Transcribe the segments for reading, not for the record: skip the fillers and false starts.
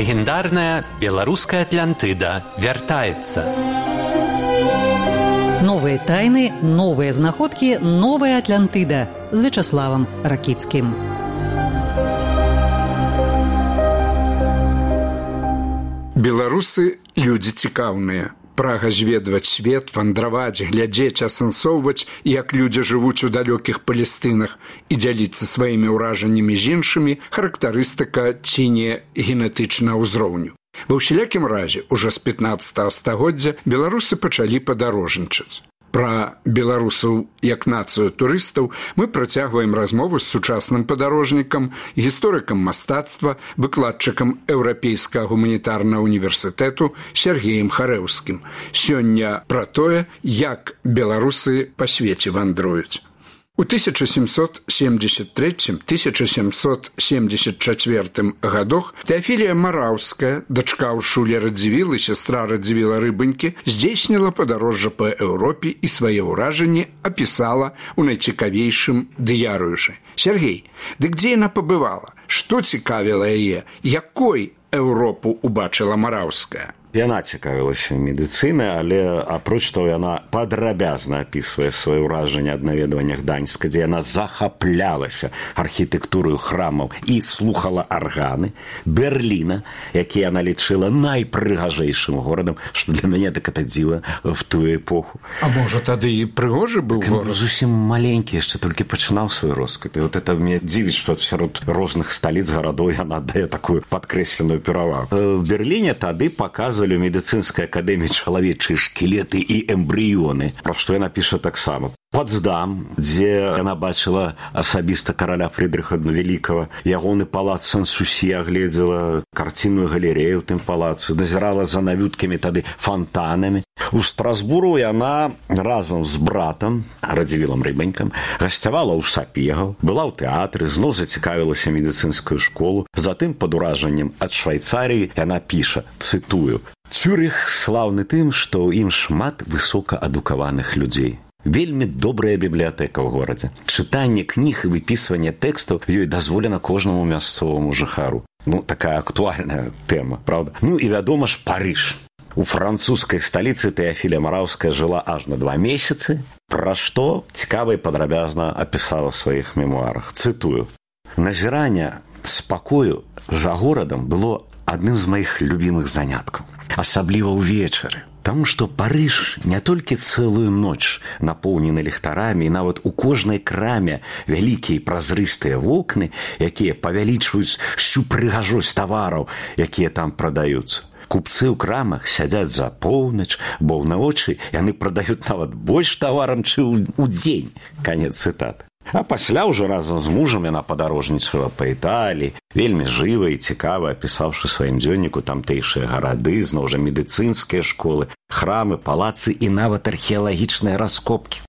Легендарная белорусская Атлантыда вяртаецца. Новые тайны, новые знаходкі, новая Атлантыда з Вячаславам Ракіцкім. Беларусы людзі цікаўныя. Прага зведваць свет, вандраваць, глядзець, асэнсоўваць, як людзі жывуць у далёкіх Палестынах і дзяліцца сваімі ўражаннямі з іншымі характарыстыка ці не генетычнага ўзроўню. Ва ўсялякім разе, ужо з 15 стагоддзя беларусы пачалі падарожнічаць. Пра беларусаў як нацыю турыстаў мы працягваем размову з сучасным падарожнікам, гісторыкам мастацтва, выкладчыкам Еўрапейскага гуманітарнага універсітэту Сергеем Харэўскім. Сёння пра тое, як беларусы па свеце вандруюць. У 1773-1774 годах Теофілія Мараўская, дачка Уршулі Радзівіл і сястра Радзівіла Рыбанькі, здзейсніла падарожжа па Еўропе і свае ўражанні апісала ў найцікавейшым дыярыюшы. Сергей, дык дзе яна пабывала? Што цікавіла яе? Якой Еўропу убачыла Мараўская? Яна цікавілася медыцынай, але апроч того, яна падрабязна апісвае свае ўражанні ад наведвання Гданьска, дзе яна захаплялася архітэктурою храмаў і слухала арганы, Берліна, які яна лічыла найпрыгажэйшым горадам, што для мяне так это дзіва в тую эпоху. А можа, тады і прыгожы быў горад? Зусім маленькі, яшчэ толькі пачынаў свой росквіт. І вот это мне дзівіць, што сярод розных сталіц гарадоў яна дае такую падкрэсленую перавагу. В Берліне тады паказвалі у медыцынскай акадэміі чалавечыя шкілеты і эмбрыёны, пра што яна піша таксама. Потсдам, дзе яна бачыла асабіста караля Фрыдрыха Вялікага, ягоны палац Сан-Сусі, агледзела карцінную галерею ў тым палацы, назірала за навюткамі тады фонтанамі. У Страсбуру яна разам з братам, Радзівілам Рыбанькам, гасцявала ў Сапегаў, была ў тэатры, зноў зацікавілася медыцынскую школу. Затым, пад уражаннем ад Швайцарыі, яна піша, цытую: «Цюрых слаўны тым, што ў ім шмат высокаадукаваных людзей. Вельмі добрая бібліятэка ў горадзе. Чытанне кніг і выпісванне тэкстаў ёй дазволена кожнаму мясцоваму жыхару». Ну, такая актуальная тэма, правда? Ну і вядома ж, Парыж. У французскай сталіцы Теофілія Мараўская жыла аж на 2 месяцы, пра што цікава і падрабязна апісала ў сваіх мемуарах. Цытую: «Назіранне спакою за горадам было адным з маіх любімых заняткаў, асабліва ўвечары. Таму што Парыж не толькі цэлую ноч напоўнены ліхтарамі, і нават у кожнай краме вялікія празрыстыя вокны, якія павялічваюць всю прыгажосць тавараў, якія там прадаюцца. Купцы ў крамах сядзяць за поўнач, бо ўначы яны прадаюць нават больш таварам, чым у дзень». Канец цытаты. А пасля ўжо разам з мужам яна падарожнічала па Італіі, вельмі жыва і цікава апісаўшы сваім дзённіку тамтэйшыя гарады, зноў жа медыцынскія школы, храмы, палацы і нават археалагічныя раскопкі.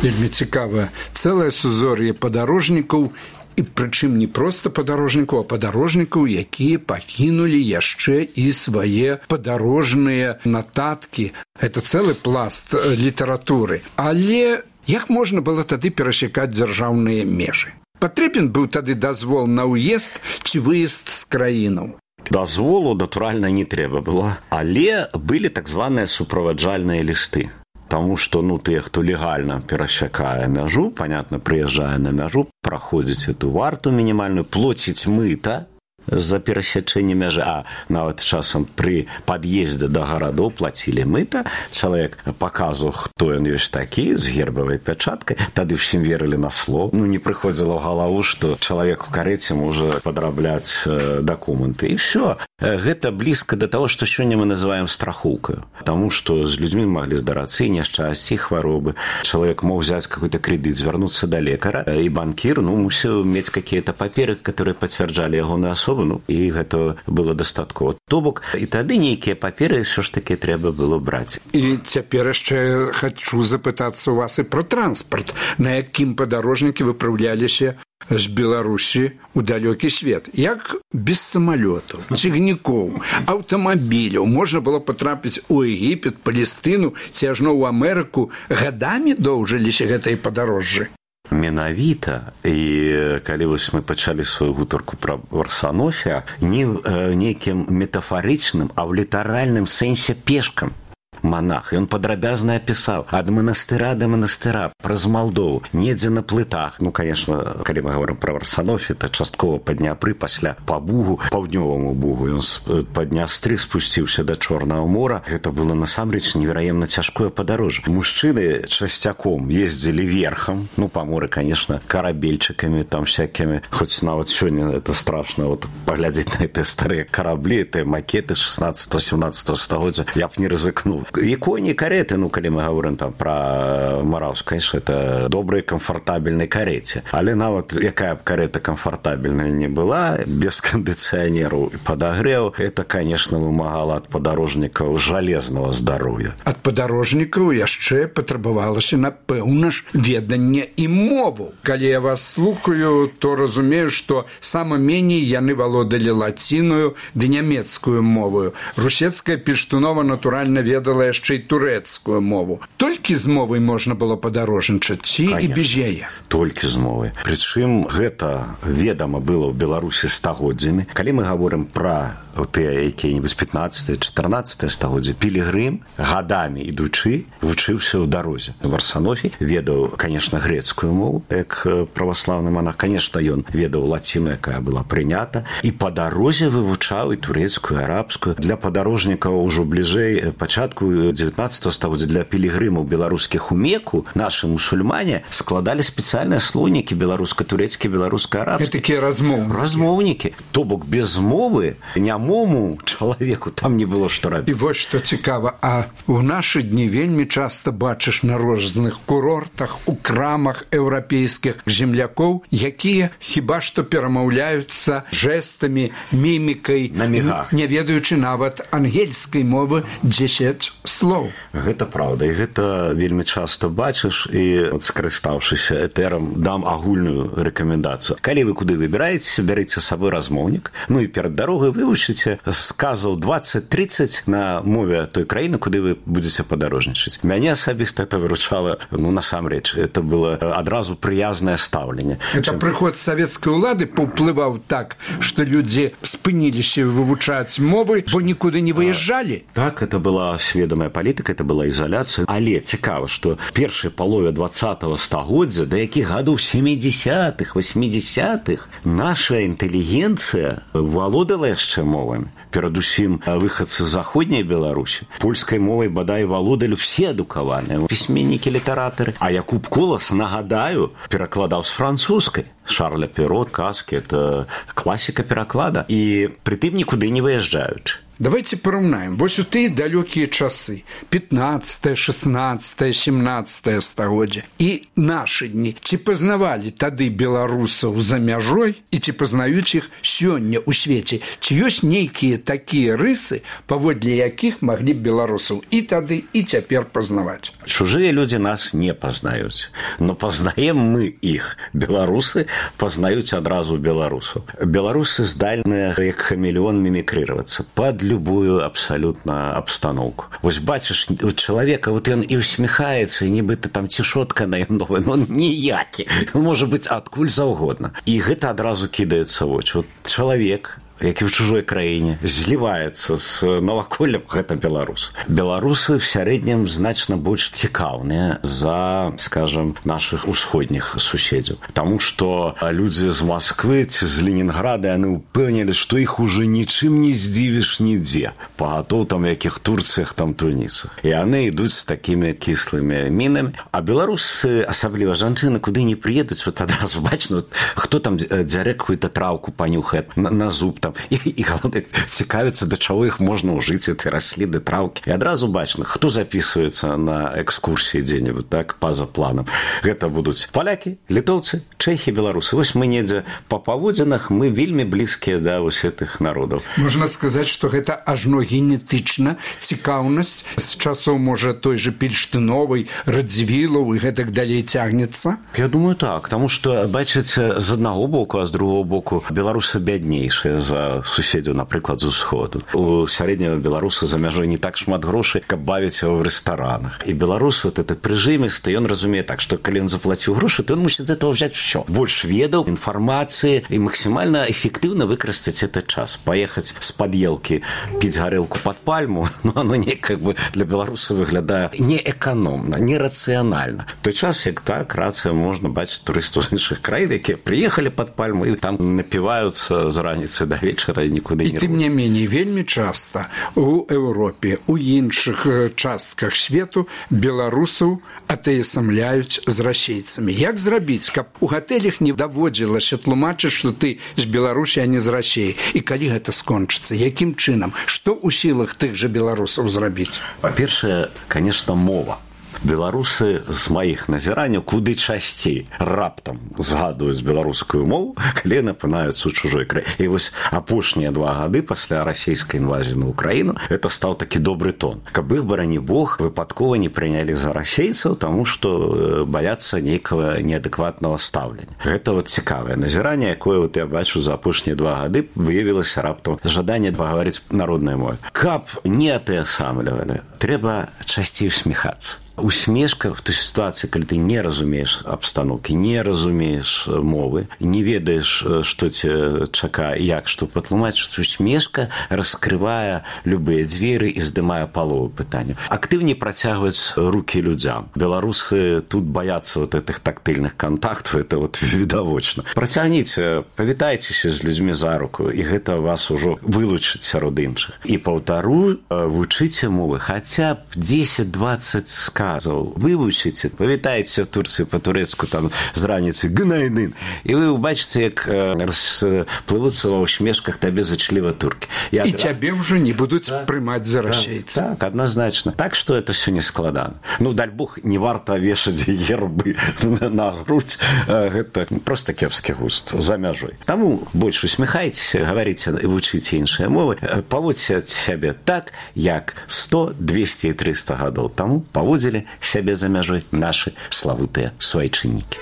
Вельмі цікава. Цэлае сузор'е падарожнікаў, і прычым не проста падарожнікаў, а падарожнікаў, якія пакінулі яшчэ і свае падарожныя нататкі. Гэта цэлы пласт літаратуры. Але як можна было тады перасякаць дзяржаўныя межы? Патрэбен быў тады дазвол на ўезд ці выезд з краінаў? Дазволу, натуральна, не трэба было, але былі так званыя суправаджальныя лісты. Таму што, тыя, хто легальна перасякае мяжу, понятна, прыязджае на мяжу, праходзіць эту варту мінімальную, плоціць мыта за перасячэнне мяжы, а нават часам пры пад'ездзе да гарадоў плацілі мыта, чалавек паказваў, хто ён ёсць такі, з гербавай пячаткай, тады ўсім верылі на слово. Не прыходзіла ў галаву, што чалавек у карэце можа падрабляць дакументы. І ўсё. Гэта блізка да таго, што сёння мы называем страхоўкаю. Таму што з людзьмі маглі здарацца і няшчасці, і хваробы. Чалавек мог взяць какой-то крэдыт, звярнуцца да лекара, і банкір мусіў мець какие-то паперы, которые пацвярджалі ягоную асобу, і гэта было дастаткова. То бок, і тады нейкія паперы ўсё ж такі трэба было браць. І цяпер яшчэ хачу запытацца ў вас і пра транспарт. На якім падарожнікі выпраўляліся з Беларусі ў далёкі свет? Як без самалётаў, цягнікоў, аўтамабіляў можна было патрапіць у Егіпет, Палестыну ці ажно ў Амерыку? Гадамі доўжыліся гэтыя падарожжы? Менавіта. І калі вось мы пачалі сваю гутарку пра Варсанофія, не ў нейкім метафарычным, а ў літаральным сэнсе пешкам монах. І ён падрабязна апісаў ад манастыра да манастыра, праз Малдову, недзе на плытах. Ну, конечно, калі мы говорим пра Варсанофі, то часткова па Дняпры, пасля па Бугу, паўднёваму Бугу. Ён па Днястры спусціўся да Чорнага мора. Гэта было насамрэч невераемна цяжкое падарожжа. Мужчыны часцяком ездзілі верхам, ну, па моры, конечно, карабельчыкамі, там всякімі, хоць нават сёння это страшно, вот паглядзець на гэтыя старыя караблі, гэтыя макеты 16-17 стагоддзя, я б не рызыкнуў. І коні, кареты, ну, калі мы говорим там пра Мараўск, конечно, это добрыя камфортабельнай кареце. Але нават якая б карета камфортабельная не была, без кандыцыянераў і падагрэў, это, конечно, вымагала ад падарожнікаў жалезнага здароўя. Ад падарожнікаў яшчэ патрабавалася, напэўна ж, веданне і мову. Калі я вас слухаю, то разумею, што сама меней яны валодалі лаціною ды нямецкую мовою. Русецкая Пельштунова, натуральна, ведала яшчэ і турэцкую мову. Толькі з мовай можна было падарожнічаць, ці і без яе? Толькі з мовай. Прычым гэта ведама было ў Беларусі стагоддзямі. Калі мы гаворым пра тыя якія-небудзь 15-14 стагоддзя, Пілігрым гадамі ідучы вучыўся ў дарозе. Варсанофі ведаў, конечно, грецкую мову, як праваслаўны монах. Конечно, ён ведаў лаціну, якая была прынята, і па дарозе вывучаў і турэцкую, і арабскую. Для падарожнікаў ужо бліжэй пачатку 19 стагоддзя для пілігрымаў беларускіх у Меку нашы мусульмане складалі спецыяльныя слоўнікі беларуска-турэцкі, беларуска-арабскі. Такія размоўнікі. Размоўнікі. То бок без мовы нямому чалавеку там не было што рабіць. І вось што цікава, а ў нашы дні вельмі часта бачыш на розных курортах, у крамах еўрапейскіх землякоў, якія хіба што перамаўляюцца жэстамі, мімікай, на мігах, не ведаючы нават ангельскай мовы 10 слоў. Гэта праўда, і гэта вельмі часта бачыш, і скарыстаўшыся этэрам дам агульную рэкамендацыю. Калі вы куды выбіраеце, бярыце з сабой размоўнік, ну і перад дарогай вывучыце сказаў 20-30 на мове той краіны, куды вы будзеце падарожнічаць. Мяне асабіста это выручала, ну, насамрэч, это было адразу прыязнае стаўленне. Это прыход савецкай улады паўплываў так, што людзі спыніліся вывучаць мовы, бо нікуды не выязджалі. Так, это была сведомая палітыка, это была ізаляцыя. Але цікава, што першай палове 20-го стагоддзя, да якіх гадоў 70-х, 80-х, наша інтэлігенцыя валодала яшчэ мовамі. Перадусім выхадцы з заходняй Беларусі. Польскай мовай бадай валодалі все адукаваныя пісьменнікі, літаратары. А Якуб Колас, нагадаю, перакладаў з французскай. Шарля Перо, казкі, это класіка пераклада. І прытым нікуды не выязджаючы. Давайте параўнаем. Вось у тыя далёкія часы, 15, 16, 17 стагоддзя і нашы дні. Ці пазнавалі тады беларусаў за мяжой і ці пазнаюць іх сёння ў свеце? Ці ёсць нейкія такія рысы, паводле якіх маглі б беларусаў і тады, і цяпер пазнаваць? Чужыя людзі нас не пазнаюць, но пазнаем мы іх. Беларусы пазнаюць адразу беларусаў. Беларусы здольныя, як хамелеон, мімікрыравацца пад любую абсалютна абстаноўку. Вось бачыш у чалавека, вот ён і усміхаецца, і нібыта там цішотка на ім новая, но ніякі. Ён можа быць адкуль заўгодна. І гэта адразу кідаецца ў вочы. Вот чалавек, які ў чужой краіне зліваецца з наваколлем, гэта беларус. Беларусы в сярэднім значна больш цікаўныя за, скажем, нашых усходніх суседзяў. Таму што людзі з Масквы ці з Ленінграда, яны ўпэўнілі, што іх уже нічым не здзівіш нідзе. Пагатоў там якіх Турцыях, там Тунісах. І яны ідуць з такімі кіслымі мінамі. А беларусы, асабліва жанчыны, куды не прыедуць, вот адразу бачна, хто там дзярэ какую-то траўку панюхае на зуб там. І галоўнае, цікавіцца, да чаго іх можна ўжыць, этой расліны, траўкі. І адразу бачна, хто запісваецца на экскурсіі дзе-небудзь, так, па-за планам. Гэта будуць палякі, літоўцы, чэхі, беларусы. Вось мы недзе па паводзінах, мы вельмі блізкія да вось гэтых народаў. Можна сказаць, што гэта ажно генетычна цікаўнасць з часоў, можа, той же Пельштыновай, Радзівілаў і гэтак далей цягнецца? Я думаю, так, таму што, бачыце, з аднаго боку, а з другого боку беларусы бяднейшыя за за суседзяў, напрыклад, з усходу. У сярэдняга беларуса за мяжой не так шмат грошай, каб бавіць яго ў рэстаранах. І беларус вот это прыжымісты, ён разумее так, што калі ён заплаціў грошы, то ён мусіць з этого взять все. Больш ведаў, інфармацыі і максімальна эфектыўна выкарыстаць этот час. Паехаць з-пад елкі піць гарэлку пад пальму, ну, оно не как бы для беларуса выглядае неэканомна, нерацыянальна. В той час, як так, рацыя можна бачыць турыстаў з іншых краін, якія прыехалі пад пальму і там напіваюцца з раніцы да вечара і нікуды не рвуць. І тым не меней, вельмі часта у Еўропе, у іншых частках свету беларусаў атаясамляюць з расейцамі. Як зрабіць, каб у гатэлях не даводзілася тлумачыць, што ты з Беларусі, а не з Расіі? І калі гэта скончыцца? Якім чынам? Што ў сілах тых жа беларусаў зрабіць? Па-першае, конечно, мова. Беларусы з маіх назіранняў куды часцей раптам згадваюць беларускую мову, калі напынаюцца ў чужой краіне. І вось апошнія 2 гады пасля расійскай інвазіі на Украіну это стаў такі добры тон. Каб іх, барані Бог, выпадкова не прынялі за расейцаў, таму што баяцца нейкага неадэкватнага стаўлення. Гэта вот цікавае назіранне, якое вот я бачу за апошнія 2 гады, выявілася раптам жаданне пагаварыць народнай мовай. Каб не атаясамлівалі, трэба часцей усміхацца. Усмешка в той ситуации, когда ты не разумеешь обстановки, не разумеешь мовы, не ведаешь, что тебе чака, як, что патлумачыць, усмешка раскрывае любые дзверы і здымае палову пытання. Актыўней працягваць руки людзям. Беларусы тут баяцца вот этих тактыльных контактаў, это вот відавочна. Працягніце, павітайцеся з людзьмі за руку, і гэта вас ужо вылучыць сярод іншых. І паўтару, вучыце мовы, хаця б 10-20 сказаў. Вывучыце, павітайце в Турцыі па-турэцку там з раніцы гнайдын, і вы ўбачыце, як расплывуцца ва ўсмешках табе зачліва туркі. І цябе ўжо не будуць прымаць за расейца. Так, адназначна. Так што это все не складана. Ну, даль Бог, не варта вешаць гербы на грудь. Гэта просто кепскі густ за мяжой. Таму больш усміхайцеся, гаварыце і вучыце іншыя мовы, паводзьце сябе так, як 100, 200 і 300 гадоў таму паводзілі сябе за мяжой нашы славутыя свайчыннікі.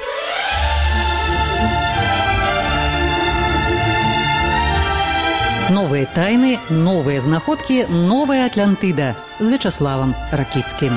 Новыя тайны, новыя знаходкі, новая Атлантыда з Вячаславам Ракіцкім.